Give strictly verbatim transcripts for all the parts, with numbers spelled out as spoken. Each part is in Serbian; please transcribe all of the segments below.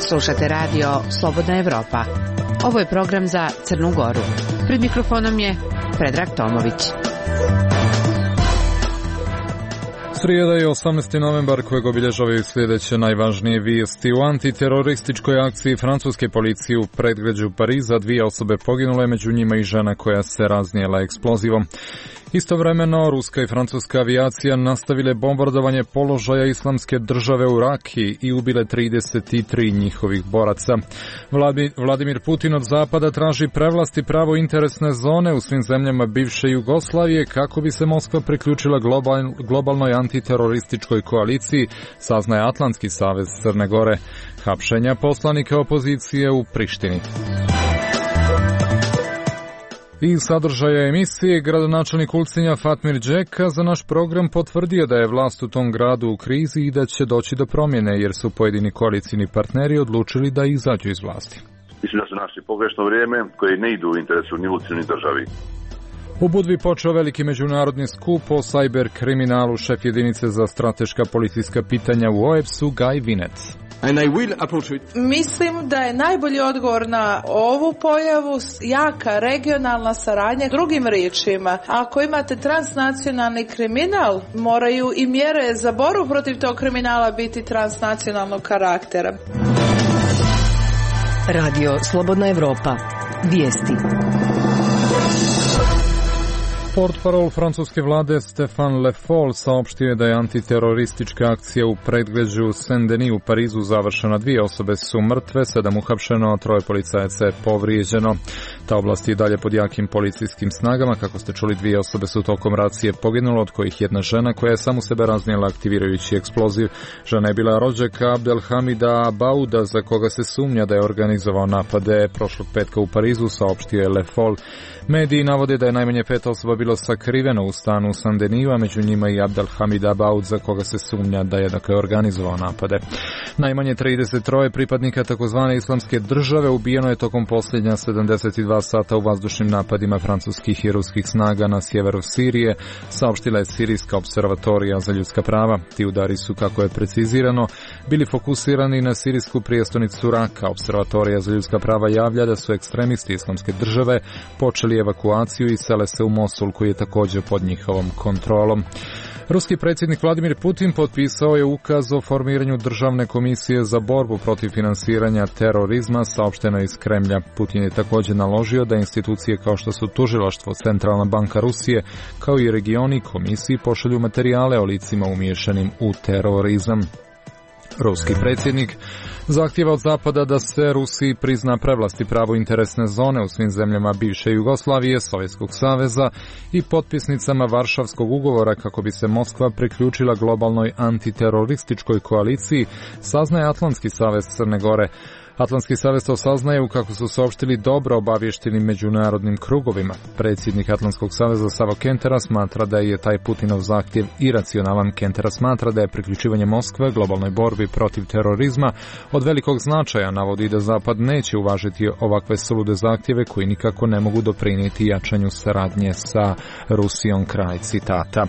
Slušate radio Slobodna Evropa. Ovo je program za Crnu Goru. Pred mikrofonom je Predrag Tomović. Srijeda je osamnaesti novembar kojeg obilježavaju sljedeće najvažnije vijesti. U antiterorističkoj akciji francuske policije u predgrađu Pariza dvije osobe poginule, među njima i žena koja se raznijela eksplozivom. Istovremeno, ruska i francuska avijacija nastavile bombardovanje položaja Islamske države u Raki i ubile trideset tri njihovih boraca. Vladimir Putin od zapada traži prevlast i pravo interesne zone u svim zemljama bivše Jugoslavije kako bi se Moskva priključila global, globalnoj antiterorističkoj koaliciji, saznaje Atlantski savez Crne Gore. Hapšenja poslanika opozicije u Prištini. I sadržaja emisije, gradonačelnik Ulcinja Fatmir Đeka za naš program potvrdio da je vlast u tom gradu u krizi i da će doći do promjene, jer su pojedini koalicijni partneri odlučili da izađu iz vlasti. Mislim da su našli pogrešno vrijeme koje ne idu u interesu ni Ulcinju ni državi. U Budvi počeo veliki međunarodni skup o sajber kriminalu. Šef jedinice za strateška policijska pitanja u O E P S-u Gaj Vinec. And I will approach it. Mislim da je najbolji odgovor na ovu pojavu jaka regionalna saradnja. Drugim riječima, ako imate transnacionalni kriminal, moraju i mjere za borbu protiv tog kriminala biti transnacionalnog karaktera. Radio Slobodna Evropa. Vijesti. Portparol francuske vlade Stéphane Le Foll saopštio je da je antiteroristička akcija u predgrađu Saint-Denis u Parizu završena. Dvije osobe su mrtve, sedam uhapšeno, troje policajaca je povrijeđeno. Ta oblast je dalje pod jakim policijskim snagama. Kako ste čuli, dvije osobe su tokom racije poginule, od kojih jedna žena koja je samu sebe raznijela aktivirajući eksploziv. Žena je bila rođaka Abdelhamida Bauda, za koga se sumnja da je organizovao napade prošlog petka u Parizu, saopštio je Le Foll. Mediji navode da je najmanje pet osoba bilo sakriveno u stanu u Saint-Denisu, a među njima i Abdelhamid Abaud, za koga se sumnja da je dakle organizovao napade. Najmanje trideset tri pripadnika takozvane Islamske države ubijeno je tokom posljednja sedamdeset dva sata u vazdušnim napadima francuskih i ruskih snaga na sjeveru Sirije, saopštila je Sirijska observatorija za ljudska prava. Ti udari su, kako je precizirano, bili fokusirani na sirijsku prijestolnicu Raka. Observatorija za ljudska prava javlja da su ekstremisti Islamske države počeli evakuaciju i sele se u Mosul, koji je također pod njihovom kontrolom. Ruski predsjednik Vladimir Putin potpisao je ukaz o formiranju državne komisije za borbu protiv finansiranja terorizma, saopšteno iz Kremlja. Putin je također naložio da institucije kao što su Tužilaštvo, Centralna banka Rusije, kao i regioni komisiji pošalju materijale o licima umiješanim u terorizam. Ruski predsjednik zahtijeva od Zapada da se Rusiji prizna prevlast i pravo interesne zone u svim zemljama bivše Jugoslavije, Sovjetskog saveza i potpisnicama Varšavskog ugovora kako bi se Moskva priključila globalnoj antiterorističkoj koaliciji, saznaje Atlantski savez Crne Gore. Atlantski savez to saznaje kako su saopštili dobro obavještenim međunarodnim krugovima. Predsjednik Atlantskog saveza Savo Kentera smatra da je taj Putinov zahtjev iracionalan. Kentera smatra da je priključivanje Moskve globalnoj borbi protiv terorizma od velikog značaja, navodi da Zapad neće uvažiti ovakve sulude zahtjeve koji nikako ne mogu doprinijeti jačanju saradnje sa Rusijom, kraj citata.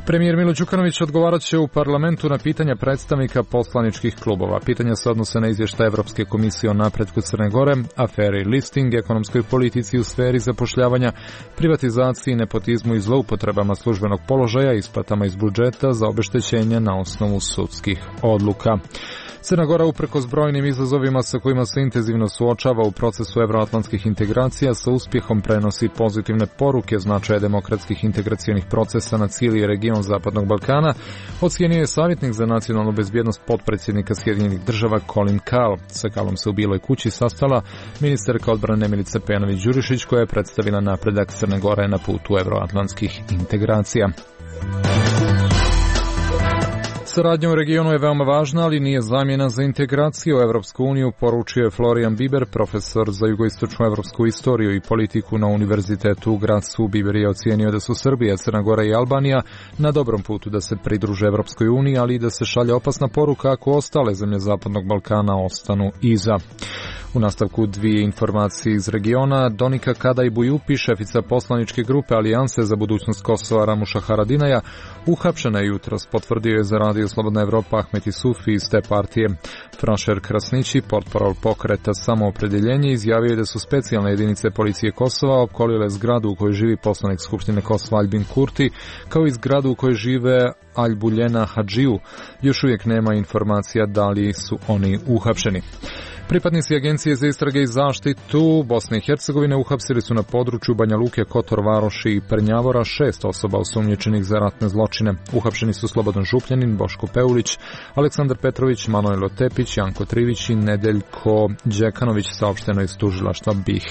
Premijer Milo Đukanović odgovarat će u parlamentu na pitanja predstavnika poslaničkih klubova. Pitanja se odnose na izvještaj Evropske komisije o napretku Crne Gore, aferi listing, ekonomskoj politici u sferi zapošljavanja, privatizaciji, nepotizmu i zloupotrebama službenog položaja, isplatama iz budžeta za obeštećenje na osnovu sudskih odluka. Crna Gora, uprkos brojnim izazovima sa kojima se intenzivno suočava u procesu evroatlantskih integracija, sa uspjehom prenosi pozitivne poruke značaja demokratskih integracionih procesa na cijeli region Zapadnog Balkana, ocijenio je savjetnik za nacionalnu bezbjednost potpredsjednika Sjedinjenih država Colin Kahl. Sa Kahlom se u Bijeloj kući sastala ministarka odbrane Milica Pejanović-Đurišić, koja je predstavila napredak Crne Gore na putu evroatlantskih integracija. Saradnja u regionu je veoma važna, ali nije zamjena za integraciju u Evropsku uniju, poručio je Florian Biber, profesor za jugoistočnu evropsku istoriju i politiku na Univerzitetu u Gracu. Biber je ocijenio da su Srbija, Crna Gora i Albanija na dobrom putu da se pridruže Evropskoj uniji, ali i da se šalje opasna poruka ako ostale zemlje Zapadnog Balkana ostanu iza. U nastavku dvije informacije iz regiona. Donika Kadaj Bujupi, šefica poslaničke grupe Alijanse za budućnost Kosova Ramuša Haradinaja, uhapšena je jutros, potvrdio je za Radio Slobodna Evropa Ahmet Isufi iz te partije. Franšer Krasnići, portparol pokreta Samoopredjeljenje, izjavio je da su specijalne jedinice policije Kosova opkolile zgradu u kojoj živi poslanik Skupštine Kosova Albin Kurti, kao i zgradu u kojoj žive Albuljena Hadžiju. Još uvijek nema informacija da li su oni uhapšeni. Pripadnici Agencije za istrage i zaštitu Bosne i Hercegovine uhapsili su na području Banja Luke, Kotor Varoši i Prnjavora šest osoba osumnjičenih za ratne zločine. Uhapšeni su Slobodan Župljanin, Boško Peulić, Aleksandar Petrović, Manojlo Tepić, Janko Trivić i Nedeljko Đekanović, saopšteno iz tužilaštva B i H.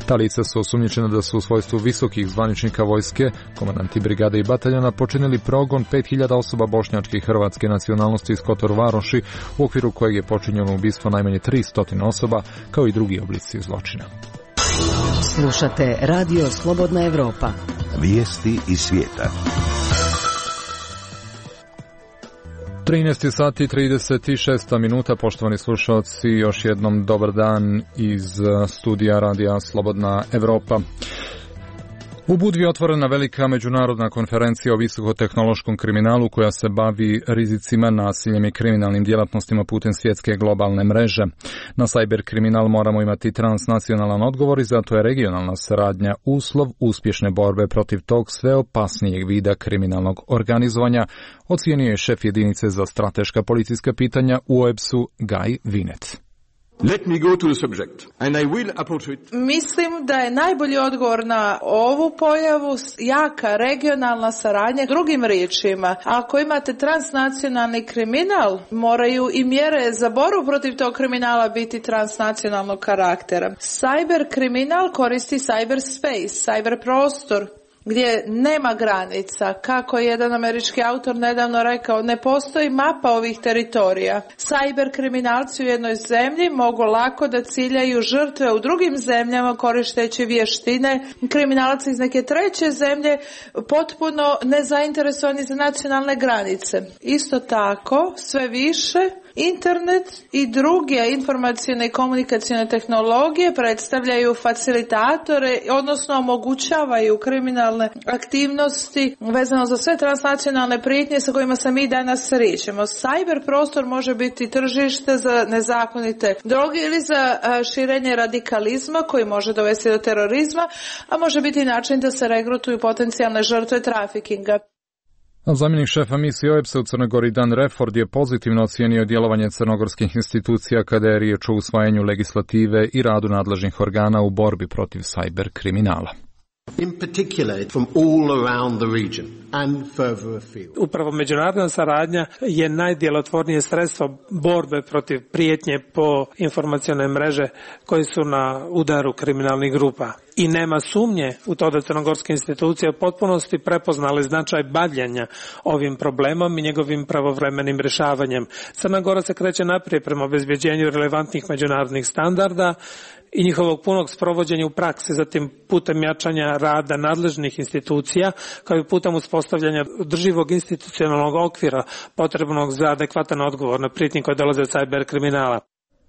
Ta lica su osumnjičena da su u svojstvu visokih zvaničnika vojske, komandanti brigade i bataljona, počinili progon pet hiljada osoba bošnjačke i hrvatske nacionalnosti iz Kotor Varoši, u okviru kojeg je počinjeno ubistvo najmanje tristo osoba, kao i drugi oblici zločina. Slušate Radio Slobodna Evropa. Vijesti iz svijeta. trinaest sati i trideset šest minuta, poštovani slušalci, još jednom dobar dan iz studija Radija Slobodna Evropa. U Budvi je otvorena velika međunarodna konferencija o visokotehnološkom kriminalu koja se bavi rizicima, nasiljem i kriminalnim djelatnostima putem svjetske globalne mreže. Na cyber kriminal moramo imati transnacionalan odgovor i zato je regionalna saradnja uslov uspješne borbe protiv tog sve opasnijeg vida kriminalnog organizovanja, ocijenio je šef jedinice za strateška policijska pitanja u O E B S-u Gaj Vinet. Let me go to the subject, and I will approach it. Mislim da je najbolji odgovor na ovu pojavu jaka regionalna saradnja. Drugim riječima, ako imate transnacionalni kriminal, moraju i mjere za borbu protiv tog kriminala biti transnacionalnog karaktera. Cyber kriminal koristi cyber space, cyber prostor, gdje nema granica. Kako je jedan američki autor nedavno rekao, ne postoji mapa ovih teritorija. Cyber kriminalci u jednoj zemlji mogu lako da ciljaju žrtve u drugim zemljama koristeći vještine kriminalaca iz neke treće zemlje, potpuno nezainteresovani za nacionalne granice. Isto tako, sve više internet i druge informacijne i komunikacijne tehnologije predstavljaju facilitatore, odnosno omogućavaju kriminalne aktivnosti vezano za sve transnacionalne prijetnje sa kojima se mi danas srećemo. Cyber prostor može biti tržište za nezakonite droge ili za širenje radikalizma koji može dovesti do terorizma, a može biti način da se regrutuju potencijalne žrtve trafikinga. Zamjenik šefa misije O E B S-a u Crnoj Gori Dan Reford je pozitivno ocijenio djelovanje crnogorskih institucija kada je riječ o usvajanju legislative i radu nadležnih organa u borbi protiv cyber kriminala. In particular from all around the region and further afield. Upravo međunarodna saradnja je najdjelotvornije sredstvo borbe protiv prijetnje po informacione mreže koje su na udaru kriminalnih grupa. I nema sumnje u to da crnogorske institucije u potpunosti prepoznale značaj bavljenja ovim problemom i njegovim pravovremenim rješavanjem. Crna Gora se kreće naprijed prema obezbjeđenju relevantnih međunarodnih standarda i njihovog punog sprovođenja u praksi, zatim putem jačanja rada nadležnih institucija, kao i putem uspostavljanja održivog institucionalnog okvira potrebnog za adekvatan odgovor na prijetnje koje dolaze od cyber kriminala.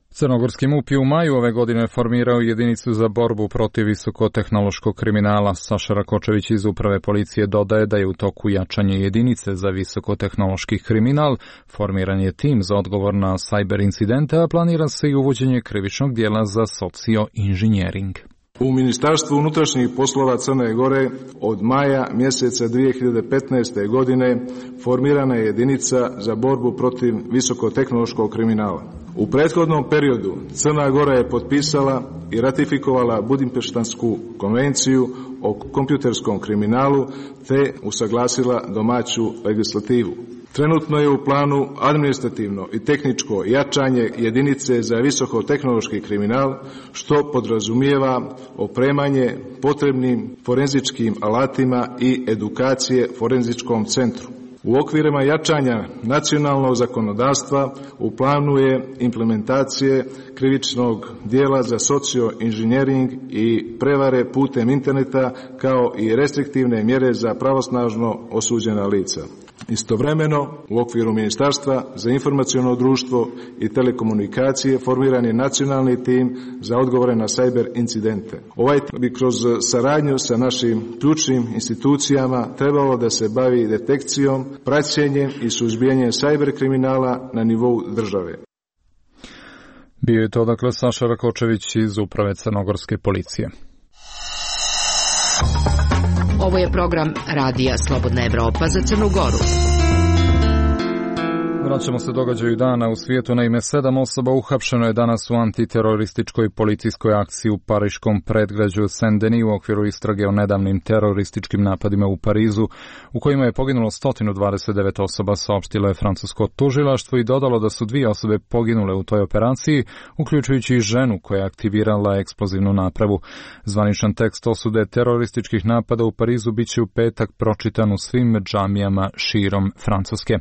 Crnogorski M U P je u maju ove godine formirao jedinicu za borbu protiv visokotehnološkog kriminala. Saša Rakočević iz Uprave policije dodaje da je u toku jačanje jedinice za visokotehnološki kriminal, formiran je tim za odgovor na cyber incidente, a planira se i uvođenje krivičnog dijela za socio-inženjering. U Ministarstvu unutrašnjih poslova Crne Gore od maja mjeseca dvije hiljade petnaeste. godine formirana je jedinica za borbu protiv visokotehnološkog kriminala. U prethodnom periodu Crna Gora je potpisala i ratifikovala Budimpeštansku konvenciju o kompjuterskom kriminalu te usaglasila domaću legislativu. Trenutno je u planu administrativno i tehničko jačanje jedinice za visokotehnološki kriminal, što podrazumijeva opremanje potrebnim forenzičkim alatima i edukacije forenzičkom centru. U okvirima jačanja nacionalnog zakonodavstva u planu je implementacije krivičnog dijela za socio-inženjering i prevare putem interneta, kao i restriktivne mjere za pravosnažno osuđena lica. Istovremeno, u okviru Ministarstva za informaciono društvo i telekomunikacije formiran je nacionalni tim za odgovore na sajber incidente. Ovaj tim bi kroz saradnju sa našim ključnim institucijama trebalo da se bavi detekcijom, praćenjem i suzbijanjem sajber kriminala na nivou države. Bio je to dakle Saša Rakočević iz Uprave crnogorske policije. Ovo je program Radija Slobodna Evropa za Crnu Goru. Vraćamo se događaju dana u svijetu. Naime, sedam osoba uhapšeno je danas u antiterorističkoj policijskoj akciji u pariškom predgrađu Saint-Denis u okviru istrage o nedavnim terorističkim napadima u Parizu, u kojima je poginulo sto dvadeset devet osoba, saopštilo je francusko tužilaštvo i dodalo da su dvije osobe poginule u toj operaciji, uključujući i ženu koja je aktivirala eksplozivnu napravu. Zvaničan tekst osude terorističkih napada u Parizu biće u petak pročitan u svim džamijama širom Francuske.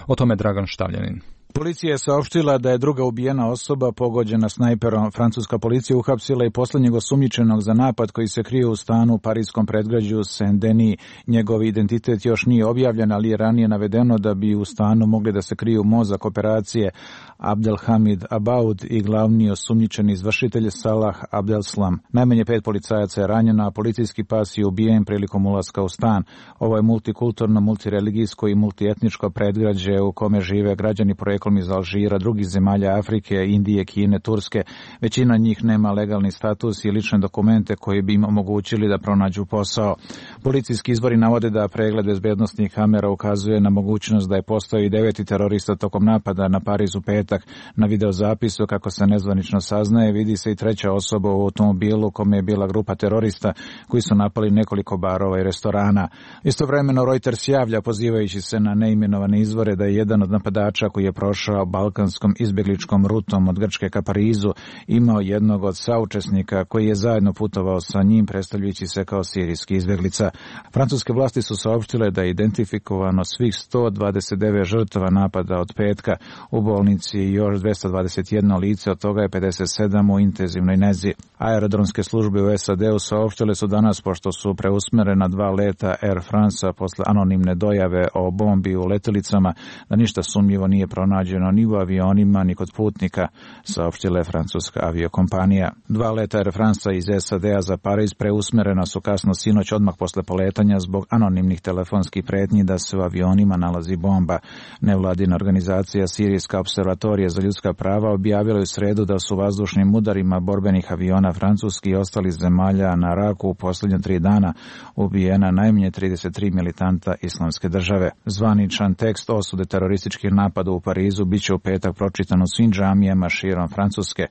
O tome Dragan Štavljanin. Policija je saopštila da je druga ubijena osoba pogođena snajperom. Francuska policija uhapsila i poslednjeg osumnjičenog za napad koji se krije u stanu u parijskom predgrađu Saint-Denis. Njegov identitet još nije objavljen, ali je ranije navedeno da bi u stanu mogli da se kriju mozak operacije Abdelhamid Abaoud i glavni osumnjičeni izvršitelj Salah Abdeslam. Najmanje pet policajaca je ranjeno, a policijski pas je ubijen prilikom ulaska u stan. Ovo je multikulturno, multireligijsko i multietničko predgrađe u kome žive građani poreklom iz Alžira, drugih zemalja Afrike, Indije, Kine, Turske. Većina njih nema legalni status i lične dokumente koji bi im omogućili da pronađu posao. Policijski izvori navode da pregled bezbednostnih kamera ukazuje na mogućnost da je postao i deveti terorista tokom napada na Pariz u petak. Na videozapisu, kako se nezvanično saznaje, vidi se i treća osoba u automobilu kome je bila grupa terorista koji su napali nekoliko barova i restorana. Istovremeno Reuters javlja, pozivajući se na neimenovane izvore, da je jedan od napadača koji je prošao balkanskom izbjegličkom rutom od Grčke ka Parizu imao jednog od saučesnika koji je zajedno putovao sa njim, predstavljajući se kao sirijski izbjeglica. Francuske vlasti su saopštile da je identifikovano svih sto dvadeset devet žrtava napada od petka. U bolnici je još dvesta dvadeset jedno lice, od toga je pedeset sedam u intenzivnoj nezi. Aerodromske službe u S A D-u saopštile su danas, pošto su preusmerena dva leta Air France posle anonimne dojave o bombi u letjelicama, da ništa sumnjivo nije pronađeno ni u avionima ni kod putnika, saopštila je francuska aviokompanija. Dva leta Air France iz S A D-a za Pariz preusmerena su kasno sinoć odmah posle poletanja zbog anonimnih telefonskih pretnji da se u avionima nalazi bomba. Nevladina organizacija Sirijska observatorija za ljudska prava objavila je u sredu da su vazdušnim udarima borbenih aviona francuskih i ostalih zemalja na Raku u posljednje tri dana ubijena najmanje trideset tri militanta islamske države. Zvaničan tekst osude terorističkih napada u Parizu biće u petak pročitan u svim džamijama širom Francuske.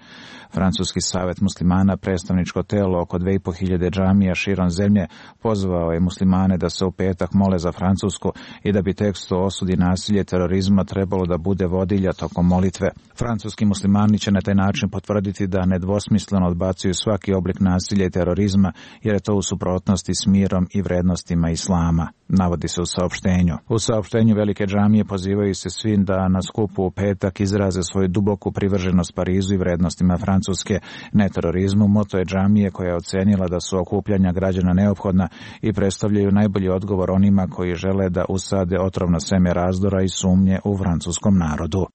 Francuski savet muslimana, predstavničko telo oko dve i po hiljade džamija širom zemlje, pozvao je muslimane da se u petak mole za Francusku i da bi tekst o osudi nasilje terorizma trebalo da bude vodilja tokom molitve. Francuski muslimani će na taj način potvrditi da nedvosmisleno odbacuju svaki oblik nasilja i terorizma, jer je to u suprotnosti s mirom i vrednostima islama, navodi se u saopštenju. U saopštenju velike džamije pozivaju se svim da na skupu u petak izraze svoju duboku privrženost Parizu i vrednostima Francuske, ne terorizmu. Moto je džamije koja je ocenila da su okupljanja građana neophodna i predstavljaju najbolji odgovor onima koji žele da usade otrovno seme razdora i sumnje u francuskom narodu.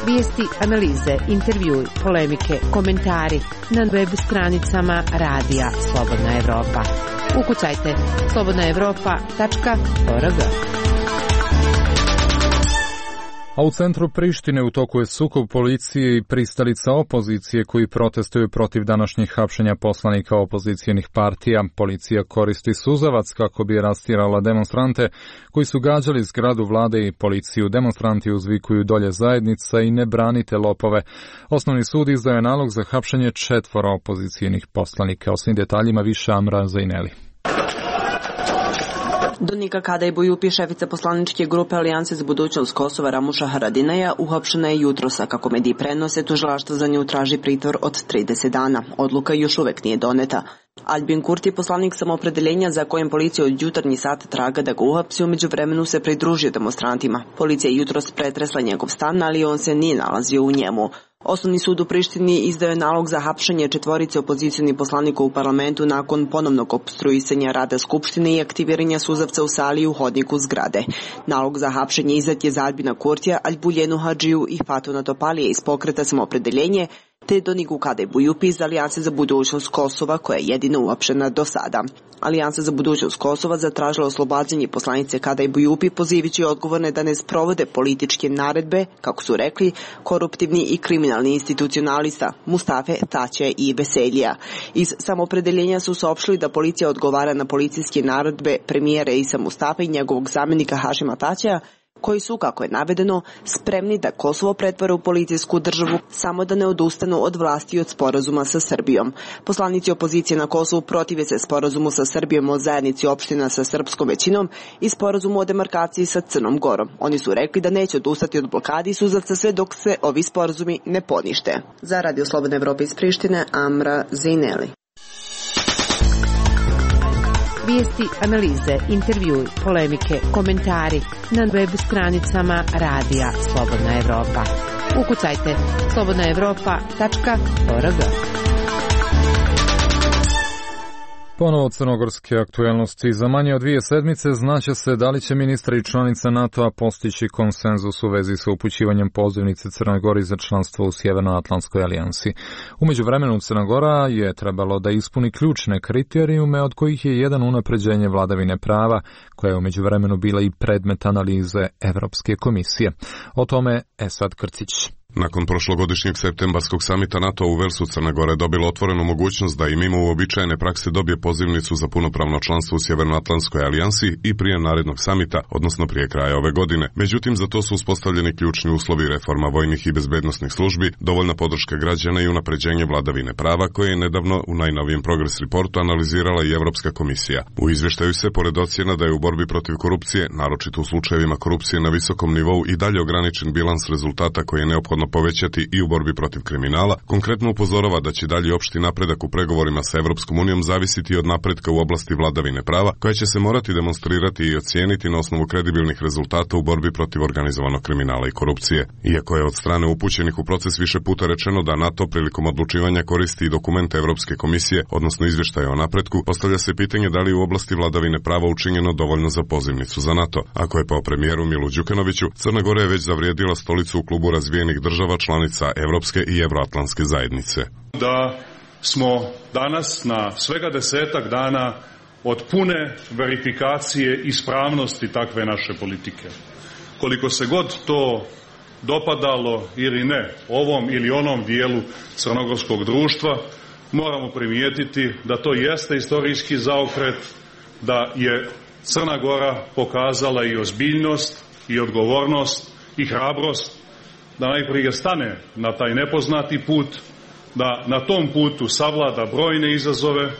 Vijesti, analize, intervjui, polemike, komentari na web stranicama Radija Slobodna Evropa. Ukucajte slobodna evropa tačka org. A u centru Prištine u toku je sukob policije i pristalica opozicije koji protestuju protiv današnjih hapšenja poslanika opozicijenih partija. Policija koristi suzavac kako bi rastjerala demonstrante koji su gađali zgradu vlade i policiju. Demonstranti uzvikuju dolje zajednica i ne branite lopove. Osnovni sud izdao je nalog za hapšenje četvora opozicijenih poslanika. O svim detaljima više Amra Zaineli. Donika Kadajbujupi, šefica poslaničke grupe Alijanse za budućnost Kosova Ramuša Haradinaja, uhapšena je jutrosa. Kako mediji prenose, tužilaštvo za nju traži pritvor od trideset dana. Odluka još uvek nije doneta. Albin Kurti, poslanik samoopredeljenja za kojem policija od jutarnji sat traga da ga uhapsi, umeđu vremenu se pridružio demonstrantima. Policija je jutros pretresla njegov stan, ali on se nije nalazio u njemu. Osnovni sud u Prištini izdao je nalog za hapšenje četvorice opozicionih poslanika u parlamentu nakon ponovnog opstruisanja rada Skupštine i aktiviranja suzavca u sali i u hodniku zgrade. Nalog za hapšenje izdat je za Albina Kurtija, Albuljenu Hadžiju i Fatuna Topalije iz pokreta Samoopredeljenje, te Donigu Kadejbujupi iz Alijanse za budućnost Kosova, koja je jedina uhapšena do sada. Alijansa za budućnost Kosova zatražila oslobađanje poslanice Kadejbujupi, pozivajući odgovorne da ne sprovode političke naredbe, kako su rekli, koruptivni i kriminalni institucionalista Mustafe Taće i Veselija. Iz Samoopredeljenja su saopštili da policija odgovara na policijske naredbe premijera Isa Mustafe i njegovog zamjenika Hašima Taćeja, koji su, kako je navedeno, spremni da Kosovo pretvore u policijsku državu samo da ne odustanu od vlasti i od sporazuma sa Srbijom. Poslanici opozicije na Kosovu protive se sporazumu sa Srbijom o zajednici opština sa srpskom većinom i sporazumu o demarkaciji sa Crnom Gorom. Oni su rekli da neće odustati od blokadi i suzavca sve dok se ovi sporazumi ne ponište. Za Radio Slobodne Evrope iz Prištine, Amra Zejneli. Vijesti, analize, intervjui, polemike, komentari na web stranicama Radija Slobodna Evropa. Ukucajte slobodna evropa tačka org. Ponovo crnogorske aktuelnosti. Za manje od dvije sedmice znaće se da li će ministri i članica NATO-a postići konsenzus u vezi sa upućivanjem pozivnice Crnoj Gori za članstvo u Sjevernoatlantskoj alijansi. U međuvremenu Crna Gora je trebalo da ispuni ključne kriterijume, od kojih je jedan unapređenje vladavine prava, koja je u međuvremenu bila i predmet analize Evropske komisije. O tome Esad Krcić. Nakon prošlogodišnjeg septembarskog samita NATO u Velsu, Crna Gora je dobila otvorenu mogućnost da i mimo uobičajene prakse dobije pozivnicu za punopravno članstvo u Sjevernoatlantskoj alijansi i prije narednog samita, odnosno prije kraja ove godine. Međutim, za to su uspostavljeni ključni uslovi: reforma vojnih i bezbednosnih službi, dovoljna podrška građana i unapređenje vladavine prava, koje je nedavno u najnovijem Progress Reportu analizirala i Evropska komisija. U izvještaju se, pored ocjena da je u borbi protiv korupcije, naročito u slučajevima korupcije na visokom nivou, i dalje ograničen bilans rezultata koji je neophodno povećati i u borbi protiv kriminala, konkretno upozorava da će dalji opšti napredak u pregovorima sa Evropskom unijom zavisiti od napretka u oblasti vladavine prava, koja će se morati demonstrirati i ocijeniti na osnovu kredibilnih rezultata u borbi protiv organizovanog kriminala i korupcije. Iako je od strane upućenih u proces više puta rečeno da NATO prilikom odlučivanja koristi i dokumente Evropske komisije, odnosno izvještaje o napretku, postavlja se pitanje da li u oblasti vladavine prava učinjeno dovoljno za pozivnicu za NATO. Ako je po premijeru Milu Đukanoviću, Crna Gora je već zavrijedila stolicu u klubu razvijenih država članica Evropske i Evroatlantske zajednice. Da smo danas na svega desetak dana od pune verifikacije ispravnosti takve naše politike. Koliko se god to dopadalo ili ne ovom ili onom dijelu crnogorskog društva, moramo primijetiti da to jeste istorijski zaokret, da je Crna Gora pokazala i ozbiljnost i odgovornost i hrabrost da najprije stane na taj nepoznati put, da na tom putu savlada brojne izazove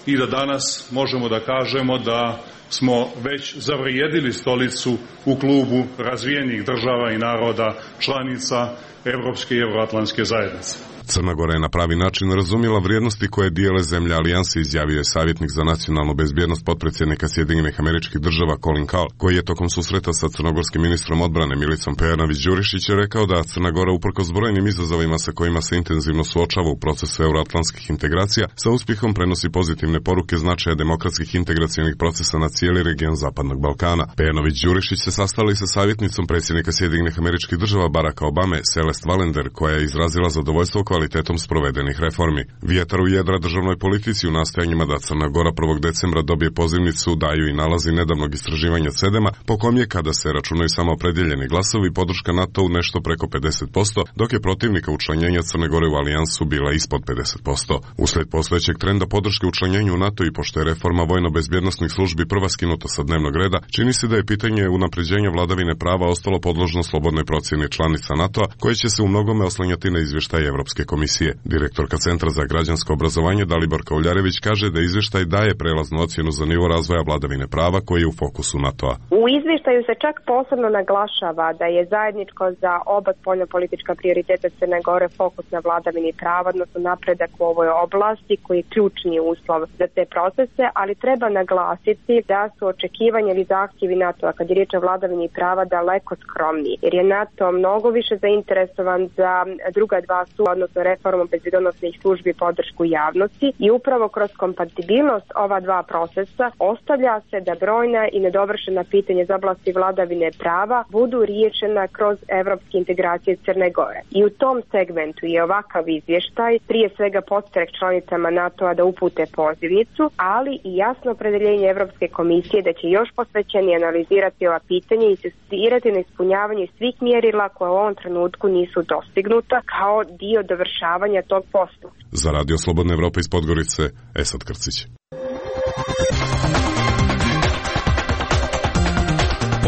i da danas možemo da kažemo da smo već zavrijedili stolicu u klubu razvijenih država i naroda članica Evropske i Evroatlantske zajednice. Crna Gora je na pravi način razumjela vrijednosti koje dijele zemlje alijanse, izjavio je savjetnik za nacionalnu bezbjednost potpredsjednika Sjedinjenih Američkih Država Colin Kahl, koji je tokom susreta sa crnogorskim ministrom odbrane Milicom Pejanović-Đurišić rekao da Crna Gora, uprkos brojnim izazovima sa kojima se intenzivno suočava u procesu euroatlantskih integracija, sa uspjehom prenosi pozitivne poruke značaja demokratskih integracionih procesa na cijeli region Zapadnog Balkana. Pejanović-Đurišić se sastali sa savjetnicom predsjednika Sjedinjenih Američkih Država Baracka Obame, Celeste Valender, koja je izrazila zadovoljstvo kvalitetom sprovedenih reformi. Vjetar u jedra državnoj politici u nastojanjima da Crna Gora prvog decembra dobije pozivnicu daju i nalazi nedavnog istraživanja Cedema, po kom je, kada se računaju samo opredjeljeni glasovi, podrška NATO u nešto preko pedeset posto, dok je protivnika učlanjenja Crne Gore u alijansu bila ispod pedeset posto. Uslijed postojećeg trenda podrške učlanjenju u NATO i pošto je reforma vojno-bezbjednosnih službi prva skinuta sa dnevnog reda, čini se da je pitanje unapređenja vladavine prava ostalo podložno slobodnoj procjeni članica NATO-a, koje će se u mnogome oslanjati na izvještaj Evropske komisije. Direktorka Centra za građansko obrazovanje Daliborka Uljarević kaže da izvještaj daje prelaznu ocjenu za nivo razvoja vladavine prava koji je u fokusu NATO-a. U izvještaju se čak posebno naglašava da je zajedničko za oba spoljnopolitička prioriteta Crne Gore fokus na vladavini prava, odnosno napredak u ovoj oblasti koji je ključni uslov za te procese, ali treba naglasiti da su očekivanja ili zahtjevi NATO-a kad je riječ o vladavini prava daleko skromniji, jer je NATO mnogo više zainteresovan za druga dva stupa, odnosno reformu bezbjednosnih službi i podršku javnosti, i upravo kroz kompatibilnost ova dva procesa ostavlja se da brojna i nedovršena pitanja iz oblasti vladavine prava budu riješena kroz evropske integracije Crne Gore. I u tom segmentu je ovakav izvještaj prije svega podstrek članicama NATO-a da upute pozivnicu, ali i jasno opredeljenje Evropske komisije da će još posvećenije analizirati ova pitanja i insistirati na ispunjavanju svih mjerila koja u ovom trenutku nisu dostignuta kao dio dovršavanja tog posla. Za Radio Slobodna Evropa iz Podgorice, Esad Krcić.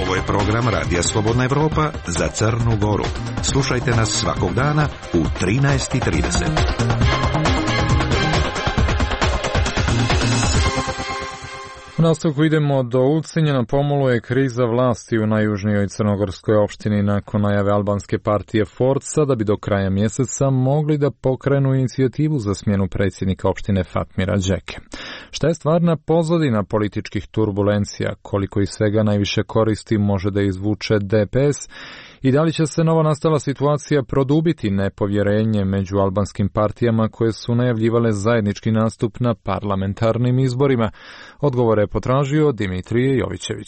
Ovo je program Radija Slobodna Evropa za Crnu Goru. Slušajte nas svakog dana u trinaest i trideset. U nastavku idemo do Ulcinja. Na pomolu je kriza vlasti u najjužnijoj crnogorskoj opštini nakon najave albanske partije Forca da bi do kraja mjeseca mogli da pokrenu inicijativu za smjenu predsjednika opštine Fatmira Đeke. Šta je stvarna pozadina političkih turbulencija, koliko iz svega najviše koristi može da izvuče D P S i da li će se nova nastala situacija produbiti nepovjerenje među albanskim partijama koje su najavljivale zajednički nastup na parlamentarnim izborima? Odgovore je potražio Dimitrije Jovićević.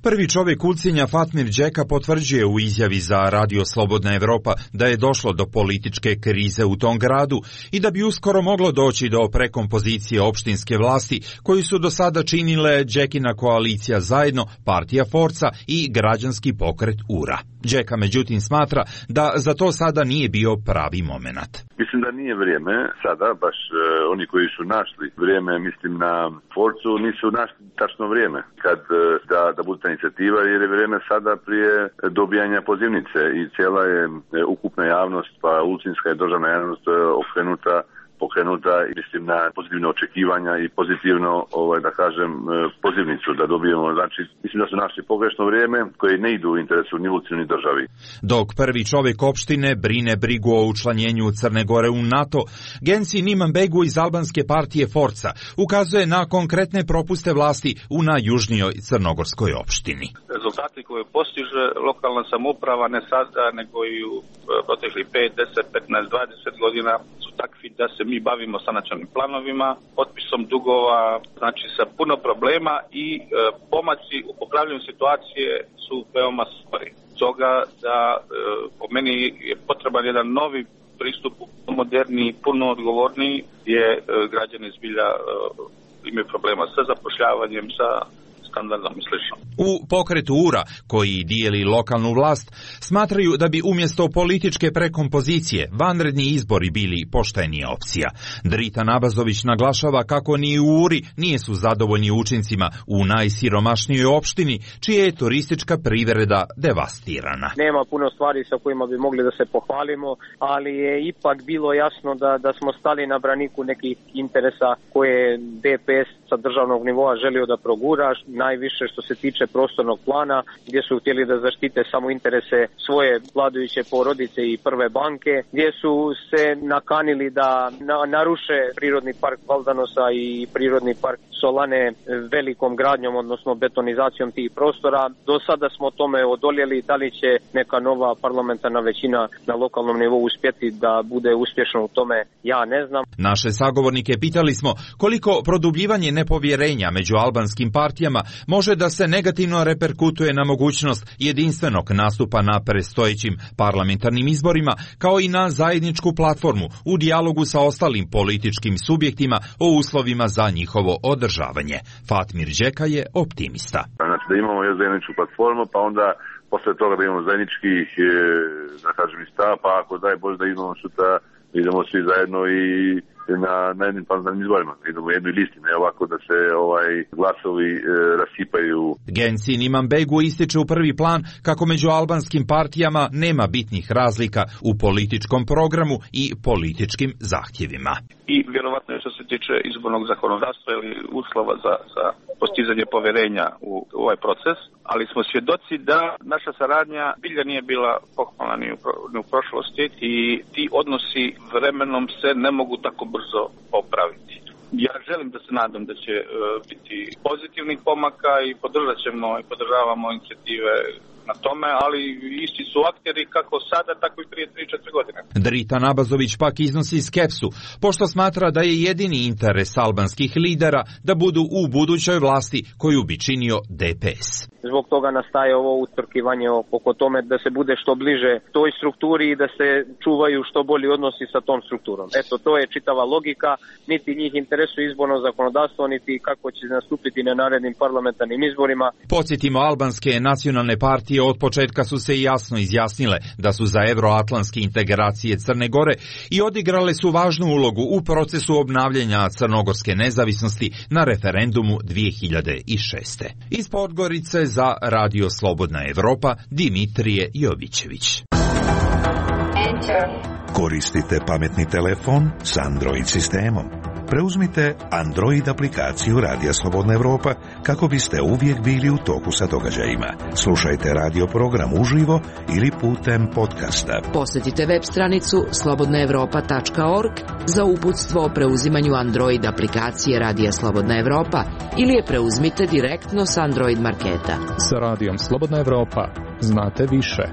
Prvi čovjek Ulcinja Fatmir Đeka potvrđuje u izjavi za Radio Slobodna Evropa da je došlo do političke krize u tom gradu i da bi uskoro moglo doći do prekompozicije opštinske vlasti koju su do sada činile Đekina koalicija Zajedno, partija Forca i građanski pokret Ura. Đeka međutim smatra da za to sada nije bio pravi momenat. Mislim da nije vrijeme sada, baš e, oni koji su našli vrijeme, mislim na Forcu, nisu našli tačno vrijeme kad e, da, da bude ta inicijativa, jer je vrijeme sada prije dobijanja pozivnice i cijela je e, ukupna javnost, pa ulcinska i državna javnost e, okrenuta pokrenuta i mislim na pozitivne očekivanja i pozitivno, ovaj, da kažem, pozivnicu da dobijemo. Znači, mislim da su našli pogrešno vrijeme koje ne idu u interesu ni Ulcinu ni državi. Dok prvi čovjek opštine brine brigu o učlanjenju Crne Gore u NATO, Genci Nimanbegu iz albanske partije Forca ukazuje na konkretne propuste vlasti u najjužnijoj crnogorskoj opštini. Rezultati koje postiže lokalna samouprava ne sada, nego i u proteklih pet, deset, petnaest, dvadeset godina su takvi da se mi bavimo sa nacionalnim planovima, otpisom dugova, znači sa puno problema i e, pomaci u popravljanju situacije su veoma spori. Toga da e, po meni je potreban jedan novi pristup, moderni, puno odgovorniji, gdje e, građani zbilja e, imaju problema sa zapošljavanjem, sa U pokretu Ura, koji dijeli lokalnu vlast, smatraju da bi umjesto političke prekompozicije vanredni izbori bili poštenija opcija. Drita Nabazović naglašava kako ni u Uri nisu zadovoljni učincima u najsiromašnijoj opštini, čija je turistička privreda devastirana. Nema puno stvari sa kojima bi mogli da se pohvalimo, ali je ipak bilo jasno da, da smo stali na braniku nekih interesa koje D P S sa državnog nivoa želio da progura, najviše što se tiče prostornog plana, gdje su htjeli da zaštite samo interese svoje vladajuće porodice i prve banke, gdje su se nakanili da na, naruše prirodni park Valdanosa i prirodni park Solane velikom gradnjom, odnosno betonizacijom tih prostora. Do sada smo tome odoljeli, da li će neka nova parlamentarna većina na lokalnom nivou uspjeti da bude uspješno u tome, ja ne znam. Naše sagovornike pitali smo koliko produbljivanje nepovjerenja među albanskim partijama može da se negativno reperkutuje na mogućnost jedinstvenog nastupa na predstojećim parlamentarnim izborima, kao i na zajedničku platformu u dijalogu sa ostalim političkim subjektima o uslovima za njihovo održavanje. Fatmir Đeka je optimista. Znači da imamo još zajedničku platformu, pa onda posle toga da imamo zajedničkih, da kažem, stav, pa ako daj Bože da idemo sutra, idemo svi zajedno i na, na jednim parlamentarnim izborima. Idemo u jednoj listi, ne ovako da se ovaj glasovi e, rasipaju. Gensin Imanbegu ističe u prvi plan kako među albanskim partijama nema bitnih razlika u političkom programu i političkim zahtjevima. I vjerovatno što se tiče izbornog zakonodavstva ili uslova za, za postizanje poverenja u, u ovaj proces, ali smo svjedoci da naša saradnja bilja nije bila pohvalna ni u, ni u prošlosti i ti odnosi vremenom se ne mogu tako brzo popraviti. Ja želim da se nadam da će uh, biti pozitivnih pomaka i podržat ćemo i podržavamo inicijative na tome, ali isti su akteri kako sada, tako i prije tri četiri godine. Drita Nabazović pak iznosi skepsu, pošto smatra da je jedini interes albanskih lidera da budu u budućoj vlasti koju bi činio D P S. Zbog toga nastaje ovo utrkivanje oko tome da se bude što bliže toj strukturi i da se čuvaju što bolji odnosi sa tom strukturom. Eto, to je čitava logika, niti njih interesuje izborno zakonodavstvo, niti kako će nastupiti na narednim parlamentarnim izborima. Podsjetimo, albanske nacionalne partije od početka su se jasno izjasnile da su za evroatlantske integracije Crne Gore i odigrale su važnu ulogu u procesu obnavljanja crnogorske nezavisnosti na referendumu dvije hiljade šeste. Iz Podgorice za Radio Slobodna Evropa, Dimitrije Jovićević. Koristite pametni telefon s Android sistemom. Preuzmite Android aplikaciju Radija Slobodna Evropa kako biste uvijek bili u toku sa događajima. Slušajte radio program uživo ili putem podcasta. Posjetite web stranicu slobodna evropa tačka org za uputstvo o preuzimanju Android aplikacije Radija Slobodna Evropa ili je preuzmite direktno s Android marketa. Sa Radijom Slobodna Evropa znate više.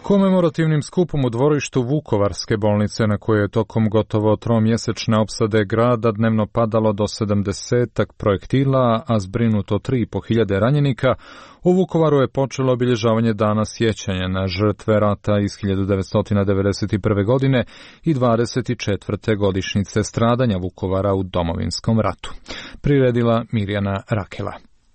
Komemorativnim skupom u dvorištu Vukovarske bolnice, na koje je tokom gotovo tromjesečne opsade grada dnevno padalo do sedamdesetak projektila, a zbrinuto tri i po hiljade ranjenika, u Vukovaru je počelo obilježavanje dana sjećanja na žrtve rata iz hiljadu devetsto devedeset prve. godine i dvadeset četvrte godišnjice stradanja Vukovara u Domovinskom ratu. Priredila Mirjana Rakela.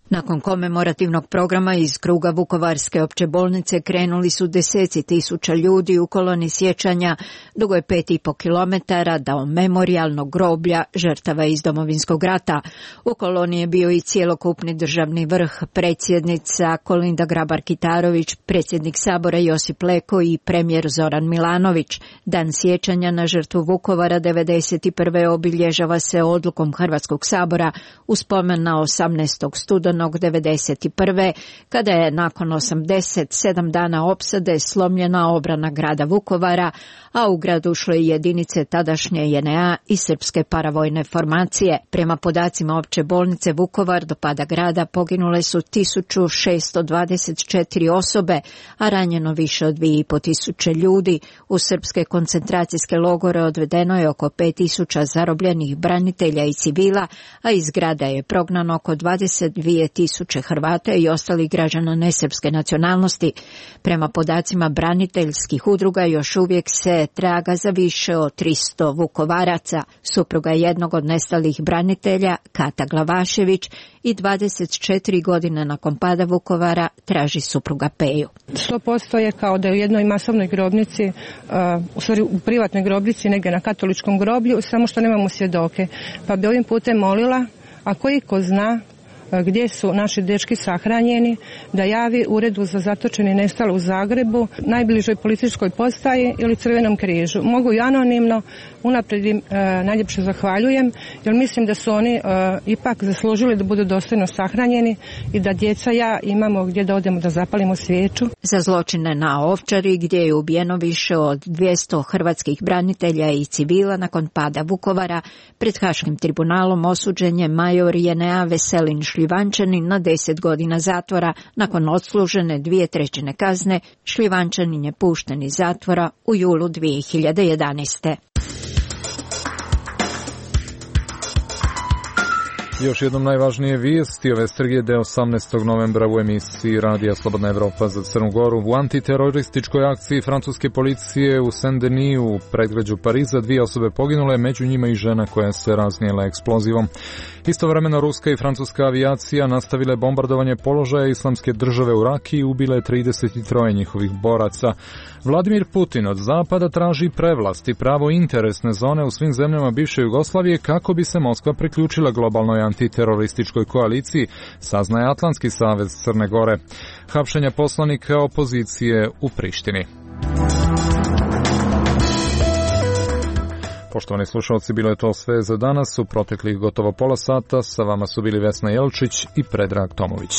Nakon komemorativnog programa iz kruga Vukovarske opće bolnice krenuli su deseci tisuća ljudi u koloni sjećanja dugo je pet i po kilometara do memorijalnog groblja žrtava iz Domovinskog rata. U koloni je bio i cjelokupni državni vrh, predsjednica Kolinda Grabar-Kitarović, predsjednik Sabora Josip Leko i premijer Zoran Milanović. Dan sjećanja na žrtvu Vukovara devedeset prve. obilježava se odlukom Hrvatskog sabora u spomen na osamnaestog studenog devedeset prve. kada je nakon osamdeset sedam dana opsade slomljena obrana grada Vukovara, a u grad ušle i jedinice tadašnje J N A i srpske paravojne formacije. Prema podacima opće bolnice Vukovar do pada grada poginule su tisuću šesto dvadeset četiri osobe, a ranjeno više od dvije i po tisuće ljudi. U srpske koncentracijske logore odvedeno je oko pet tisuća zarobljenih branitelja i civila, a iz grada je prognano oko dvadeset dvije tisuće Hrvata i ostalih građana nesrpske nacionalnosti. Prema podacima braniteljskih udruga još uvijek se traga za više od tristo Vukovaraca. Supruga jednog od nestalih branitelja, Kata Glavašević, i dvadeset četiri godine nakon pada Vukovara traži supruga Peju. sto posto je kao da je u jednoj masovnoj grobnici, uh, u stvari u privatnoj grobnici, negdje na katoličkom groblju, samo što nemamo svjedoke. Pa bi ovim putem molila, ako iko zna gdje su naši dečki sahranjeni, da javi Uredu za zatočene i nestale u Zagrebu, najbližoj policijskoj postaji ili Crvenom križu. Mogu i anonimno, unaprijed im e, najljepše zahvaljujem, jer mislim da su oni e, ipak zaslužili da budu dostojno sahranjeni i da djeca ja imamo gdje da odemo da zapalimo svijeću. Za zločine na Ovčari, gdje je ubijeno više od dvjesto hrvatskih branitelja i civila nakon pada Vukovara, pred Haškim tribunalom osuđen je major J N A Veselin Šljivančanin na deset godina zatvora. Nakon odslužene dvije trećine kazne, Šljivančanin je pušten iz zatvora u julu dvije hiljade jedanaeste. Još jednom najvažnije vijesti ove srijede osamnaestog novembra u emisiji Radija Slobodna Evropa za Crnu Goru. U antiterorističkoj akciji francuske policije u Saint-Denis u predgrađu Pariza dvije osobe poginule, među njima i žena koja se raznijela eksplozivom. Istovremeno ruska i francuska avijacija nastavile bombardovanje položaja Islamske države u Rakiji i ubile trideset tri njihovih boraca. Vladimir Putin od zapada traži prevlast i pravo interesne zone u svim zemljama bivše Jugoslavije kako bi se Moskva priključila globalnoj antiterorističkoj koaliciji, saznaje Atlantski savez Crne Gore. Hapšenja poslanika opozicije u Prištini. Poštovani slušalci, bilo je to sve za danas. U proteklih gotovo pola sata sa vama su bili Vesna Jelčić i Predrag Tomović.